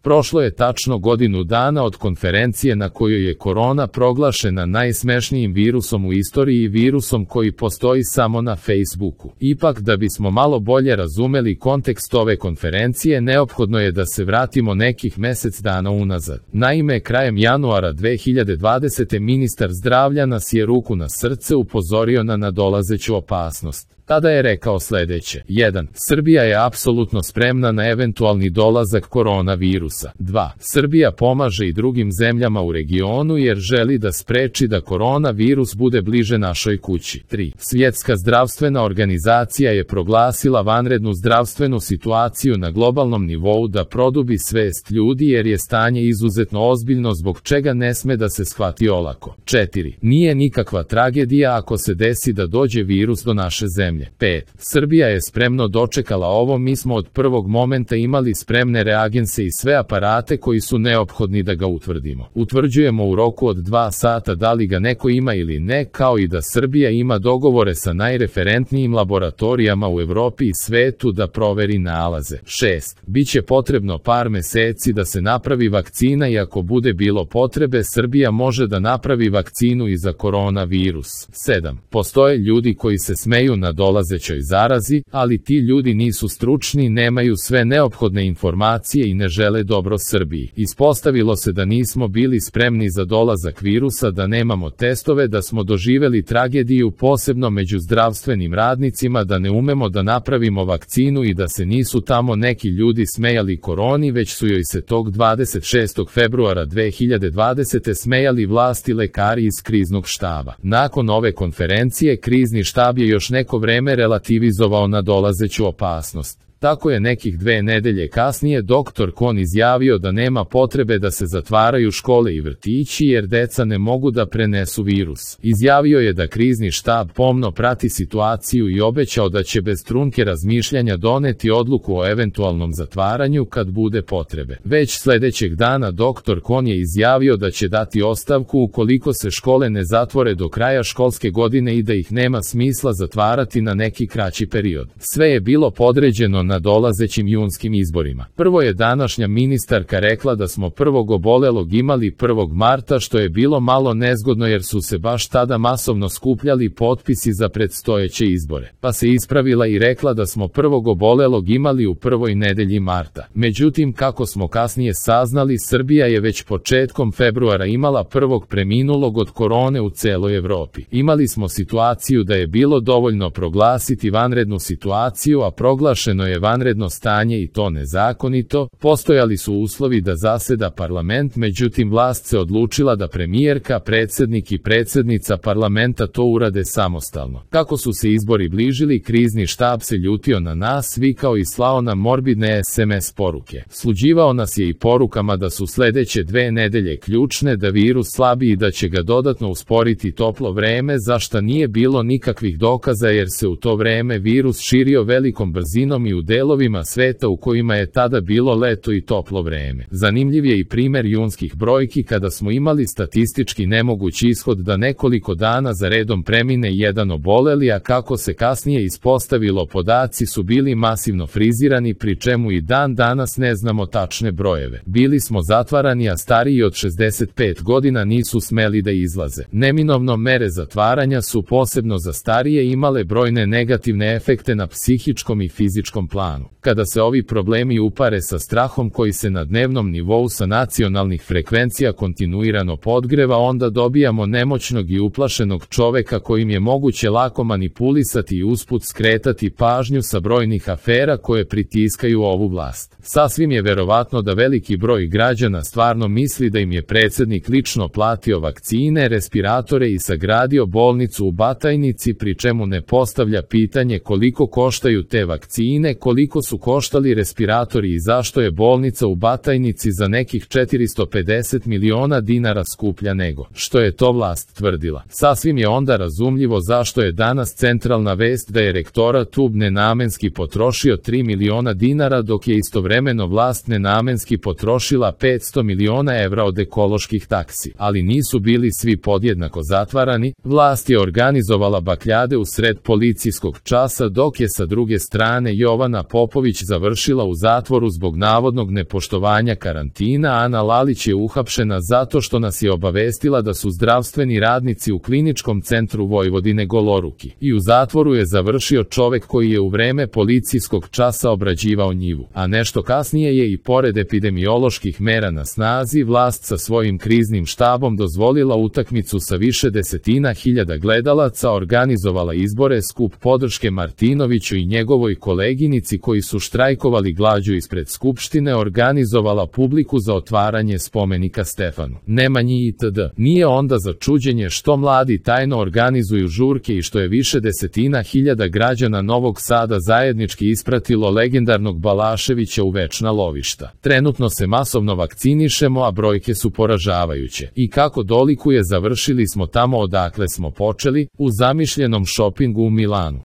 Prošlo je tačno godinu dana od konferencije na kojoj je korona proglašena najsmešnijim virusom u istoriji i virusom koji postoji samo na Facebooku. Ipak, da bismo malo bolje razumeli kontekst ove konferencije, neophodno je da se vratimo nekih mesec dana unazad. Naime, krajem januara 2020. ministar zdravlja nas je, ruku na srce, upozorio na nadolazeću opasnost. Tada je rekao sledeće: 1. Srbija je apsolutno spremna na eventualni dolazak koronavirusa. 2. Srbija pomaže i drugim zemljama u regionu jer želi da spreči da koronavirus bude bliže našoj kući. 3. Svjetska zdravstvena organizacija je proglasila vanrednu zdravstvenu situaciju na globalnom nivou da produbi svest ljudi jer je stanje izuzetno ozbiljno zbog čega ne sme da se shvati olako. 4. Nije nikakva tragedija ako se desi da dođe virus do naše zemlje. 5. Srbija je spremno dočekala ovo, mi smo od prvog momenta imali spremne reagense i sve aparate koji su neophodni da ga utvrdimo. Utvrđujemo u roku od 2 sata da li ga neko ima ili ne, kao i da Srbija ima dogovore sa najreferentnijim laboratorijama u Evropi i svetu da proveri nalaze. 6. Biće potrebno par meseci da se napravi vakcina i ako bude bilo potrebe, Srbija može da napravi vakcinu i za koronavirus. 7. Postoje ljudi koji se smeju na dolazećoj zarazi, ali ti ljudi nisu stručni, nemaju sve neophodne informacije i ne žele dobro Srbiji. Ispostavilo se da nismo bili spremni za dolazak virusa, da nemamo testove, da smo doživeli tragediju posebno među zdravstvenim radnicima, da ne umemo da napravimo vakcinu i da se nisu tamo neki ljudi smejali koroni, već su joj se tog 26. februara 2020. smejali vlasti, lekari iz kriznog štaba. Nakon ove konferencije, krizni štab je još neko vreme relativizovao nadolazeću opasnost. Tako je nekih 2 nedelje kasnije dr. Kon izjavio da nema potrebe da se zatvaraju škole i vrtići jer deca ne mogu da prenesu virus. Izjavio je da krizni štab pomno prati situaciju i obećao da će bez trunke razmišljanja doneti odluku o eventualnom zatvaranju kad bude potrebe. Već sledećeg dana dr. Kon je izjavio da će dati ostavku ukoliko se škole ne zatvore do kraja školske godine i da ih nema smisla zatvarati na neki kraći period. Sve je bilo podređeno na dolazećim junskim izborima. Prvo je današnja ministarka rekla da smo prvog obolelog imali 1. marta, što je bilo malo nezgodno jer su se baš tada masovno skupljali potpisi za predstojeće izbore. Pa se ispravila i rekla da smo prvog obolelog imali u prvoj nedelji marta. Međutim, kako smo kasnije saznali, Srbija je već početkom februara imala prvog preminulog od korone u celoj Evropi. Imali smo situaciju da je bilo dovoljno proglasiti vanrednu situaciju, a proglašeno je vanredno stanje i to nezakonito. Postojali su uslovi da zaseda parlament, međutim vlast se odlučila da premijerka, predsednik i predsednica parlamenta to urade samostalno. Kako su se izbori bližili, krizni štab se ljutio na nas, vikao i slao nam morbidne SMS poruke. Sluđivao nas je i porukama da su sledeće 2 nedelje ključne, da virus slabi i da će ga dodatno usporiti toplo vreme, za šta nije bilo nikakvih dokaza jer se u to vreme virus širio velikom brzinom i u delovima sveta u kojima je tada bilo leto i toplo vreme. Zanimljiv je i primer junskih brojki kada smo imali statistički nemogući ishod da nekoliko dana za redom premine jedan oboleli, a kako se kasnije ispostavilo, podaci su bili masivno frizirani, pri čemu i dan danas ne znamo tačne brojeve. Bili smo zatvarani, a stariji od 65 godina nisu smeli da izlaze. Neminovno mere zatvaranja su posebno za starije imale brojne negativne efekte na psihičkom i fizičkom planu. Kada se ovi problemi upare sa strahom koji se na dnevnom nivou sa nacionalnih frekvencija kontinuirano podgreva, onda dobijamo nemoćnog i uplašenog čoveka kojim je moguće lako manipulisati i usput skretati pažnju sa brojnih afera koje pritiskaju ovu vlast. Sasvim je verovatno da veliki broj građana stvarno misli da im je predsednik lično platio vakcine, respiratore i sagradio bolnicu u Batajnici, pri čemu ne postavlja pitanje koliko koštaju te vakcine, koliko su koštali respiratori i zašto je bolnica u Batajnici za nekih 450 miliona dinara skuplja nego što je to vlast tvrdila. Sasvim je onda razumljivo zašto je danas centralna vest da je rektorat UB nenamenski potrošio 3 miliona dinara, dok je istovremeno vlast nenamenski potrošila 500 miliona evra od ekoloških taksi. Ali nisu bili svi podjednako zatvarani, vlast je organizovala bakljade u sred policijskog časa, dok je sa druge strane Jovan Stefana Popović završila u zatvoru zbog navodnog nepoštovanja karantina, a Ana Lalić je uhapšena zato što nas je obavestila da su zdravstveni radnici u Kliničkom centru Vojvodine goloruki. I u zatvoru je završio čovek koji je u vreme policijskog časa obrađivao njivu. A nešto kasnije je i pored epidemioloških mera na snazi, vlast sa svojim kriznim štabom dozvolila utakmicu sa više desetina hiljada gledalaca, organizovala izbore, skup podrške Martinoviću i njegovoj koleginici koji su štrajkovali glađu ispred Skupštine, organizovala publiku za otvaranje spomenika Stefanu Nemanji itd. Nije onda za čuđenje što mladi tajno organizuju žurke i što je više desetina hiljada građana Novog Sada zajednički ispratilo legendarnog Balaševića u večna lovišta. Trenutno se masovno vakcinišemo, a brojke su poražavajuće. I kako dolikuje, završili smo tamo odakle smo počeli, u zamišljenom šopingu u Milanu.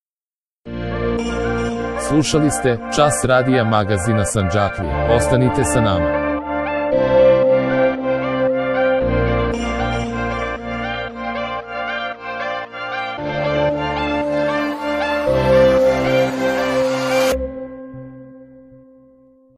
Slušali ste Čas radija magazina Sandžaklija. Ostanite sa nama.